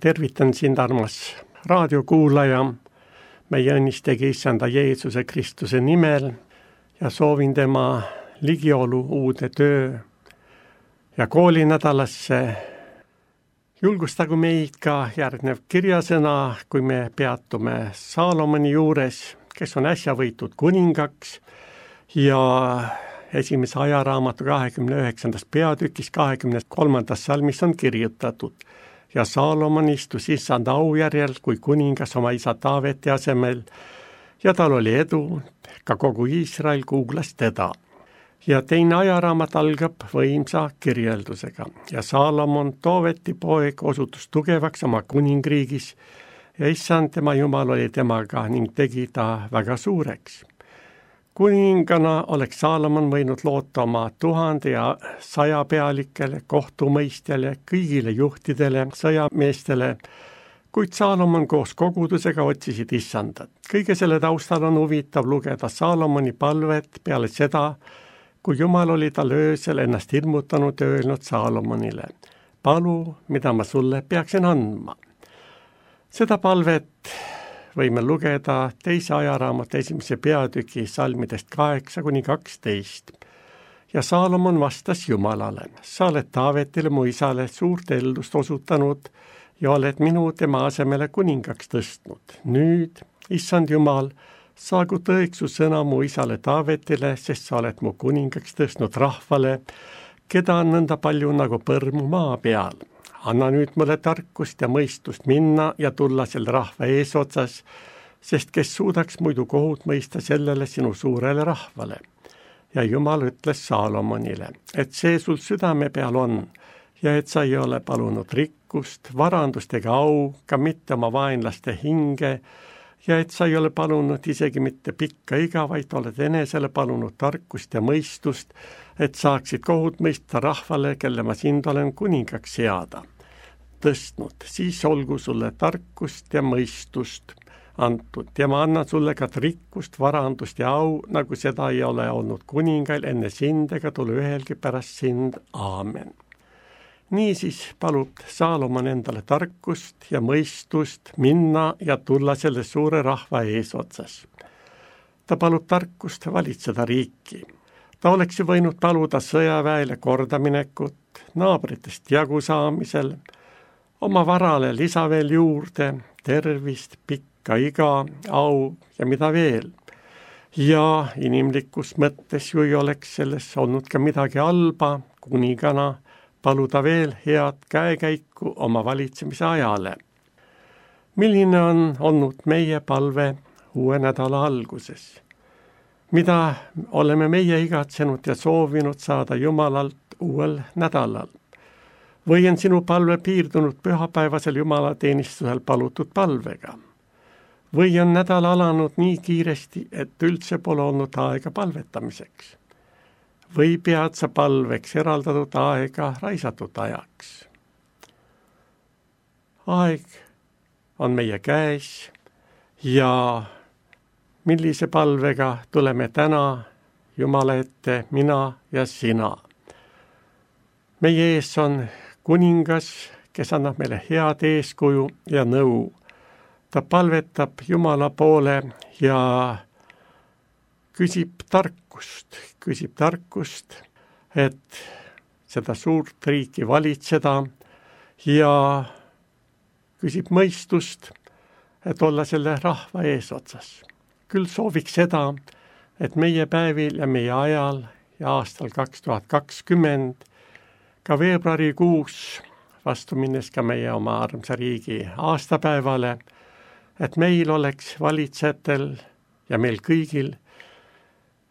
tervitan sind, armas raadiokuulaja, meie õnnistegi Issanda Jeesuse Kristuse nimel ja soovin tema ligiolu uude töö ja koolinädalasse. Julgustagu meid ka järgnev kirjasõna, kui me peatume Saalomoni juures, kes on äsja võitud kuningaks ja esimese ajaraamatu 29. peatükis 23. salmis on kirjutatud: ja Saalomon istus Issanda aujärjel kui kuningas oma isa Taaveti asemel ja tal oli edu, ka kogu Iisrael kuulas teda. Ja teine ajaraamat algab võimsa kirjeldusega ja Saalomon, Taaveti poeg, osutus tugevaks oma kuningriigis ja Issand tema Jumal oli temaga ning tegi ta väga suureks. Kuningana oleks Saalomon võinud loota oma 1000 ja 100 pealikele, kohtumõistjale, kõigile juhtidele, sõjameestele, kuid Saalomon koos kogudusega otsisid Issandat. Kõige selle taustal on huvitav lugeda Saalomoni palvet peale seda, kui Jumal oli tal öösel ennast hirmutanud ja öelnud Saalomonile: palu, mida ma sulle peaksin andma. Seda palvet võime lugeda teise ajaraamatu 1. peatüki salmidest 8-12. Ja Saalomon vastas Jumalale: sa oled Taavetile mu isale suurt eldust osutanud ja oled minu tema asemele kuningaks tõstnud. Nüüd, Issand Jumal, saagu tõeks su sõna mu isale Taavetile, sest sa oled mu kuningaks tõstnud rahvale, keda on nõnda palju nagu põrmu maa peal. Anna nüüd mulle tarkust ja mõistust minna ja tulla selle rahva eesotsas, sest kes suudaks muidu kohut mõista sellele sinu suurele rahvale. Ja Jumal ütles Saalomonile, et see sul südame peal on ja et sa ei ole palunud rikkust, varandust ega au, ka mitte oma vaenlaste hinge, ja et sa ei ole palunud isegi mitte pikka iga, vaid oled enesele palunud tarkust ja mõistust, et saaksid kohut mõista rahvale, kelle ma sind olen kuningaks seada tõstnud, siis olgu sulle tarkust ja mõistust antud ja ma annan sulle ka rikkust, varandust ja au, nagu seda ei ole olnud kuningail enne sind ega tule ühelgi pärast sind. Aamen. Niisiis palub Saalomon endale tarkust ja mõistust minna ja tulla selle suure rahva eesotsas. Ta palub tarkust valitseda riiki. Ta oleks ju võinud paluda sõjaväele kordaminekut, naabritest jagu saamisel, oma varale lisa veel juurde, tervist, pikka iga, au ja mida veel. Ja inimlikus mõttes ju ei oleks selles olnud ka midagi halba, kuningana paluda veel head käekäiku oma valitsemise ajale. Milline on olnud meie palve uue nädala alguses? Mida oleme meie igatsenud ja soovinud saada Jumalalt uuel nädalal? Või on sinu palve piirdunud pühapäevasel jumalateenistusel palutud palvega? Või on nädal alanud nii kiiresti, et üldse pole olnud aega palvetamiseks? Või pead sa palveks eraldatud aega raisatud ajaks? Aeg on meie käes ja millise palvega tuleme täna Jumala ette, mina ja sina. Meie ees on kuningas, kes annab meile head eeskuju ja nõu. Ta palvetab Jumala poole ja küsib tarkust, et seda suurt riiki valitseda ja küsib mõistust, et olla selle rahva eesotsas. Küll sooviks seda, et meie päevil ja meie ajal ja aastal 2020, ka veebruarikuus, vastu minnes ka meie oma armsa riigi aastapäevale, et meil oleks valitsejatel ja meil kõigil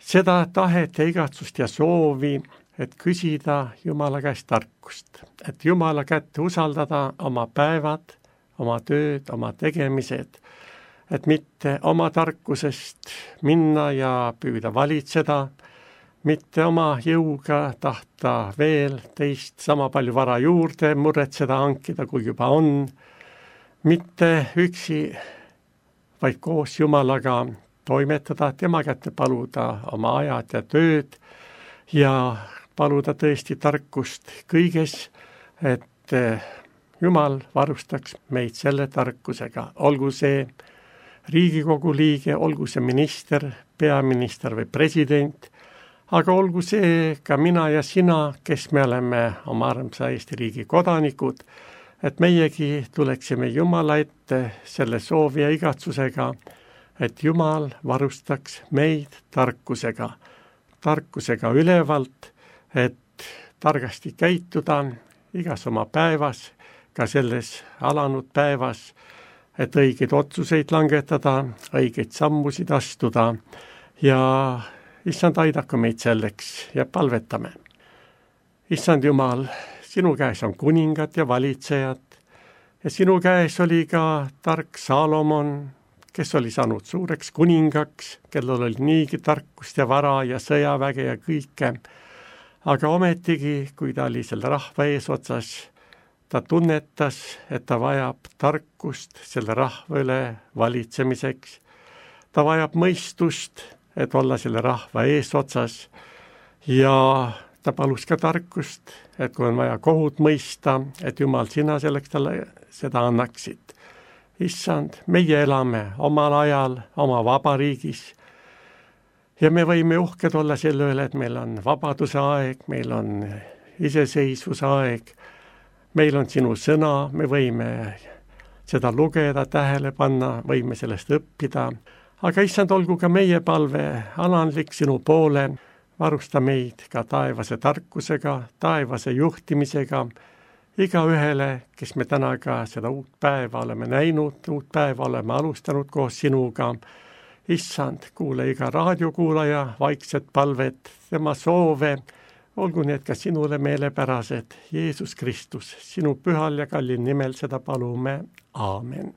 seda tahet ja igatsust ja soovi, et küsida Jumala käest tarkust, et Jumala kätte usaldada oma päevad, oma tööd, oma tegemised, et mitte oma tarkusest minna ja püüda valitseda, mitte oma jõuga tahta veel teist sama palju vara juurde muretseda, hankida, kui juba on, mitte üksi, vaid koos Jumalaga toimetada, tema kätte paluda oma ajad ja tööd ja paluda tõesti tarkust kõiges, et Jumal varustaks meid selle tarkusega, olgu see Riigikogu liige, olgu see minister, peaminister või president, aga olgu see ka mina ja sina, kes me oleme oma armsa Eesti riigi kodanikud, et meiegi tuleksime Jumala ette selle soovi ja igatsusega, et Jumal varustaks meid tarkusega ülevalt, et targasti käituda igas oma päevas, ka selles alanud päevas, et õigeid otsuseid langetada, õigeid sammusid astuda ja Issand, aidaku meid selleks ja palvetame. Issand Jumal, sinu käes on kuningad ja valitsejad ja sinu käes oli ka tark Saalomon, kes oli saanud suureks kuningaks, kellel oli niigi tarkust ja vara ja sõjaväge ja kõike. Aga ometigi, kui ta oli selle rahva eesotsas, ta tunnetas, et ta vajab tarkust selle rahva üle valitsemiseks. Ta vajab mõistust, et olla selle rahva eesotsas ja ta palus ka tarkust, et kui on vaja kohut mõista, et Jumal, sina selleks talle seda annaksid. Issand, meie elame omal ajal, oma vabariigis ja me võime uhked olla selle üle, et meil on vabaduse aeg, meil on iseseisvuse aeg, meil on sinu sõna, me võime seda lugeda, tähele panna, võime sellest õppida. Aga issand, olgu ka meie palve alandlik sinu poole, varusta meid ka taevase tarkusega, taevase juhtimisega, iga ühele, kes me täna ka seda uut päeva oleme näinud, uut päeva oleme alustanud koos sinuga. Issand, kuule iga raadiokuulaja vaikset palvet, tema soove, olgu need ka sinule meelepärased. Jeesus Kristus, sinu pühal ja kallil nimel seda palume. Aamen.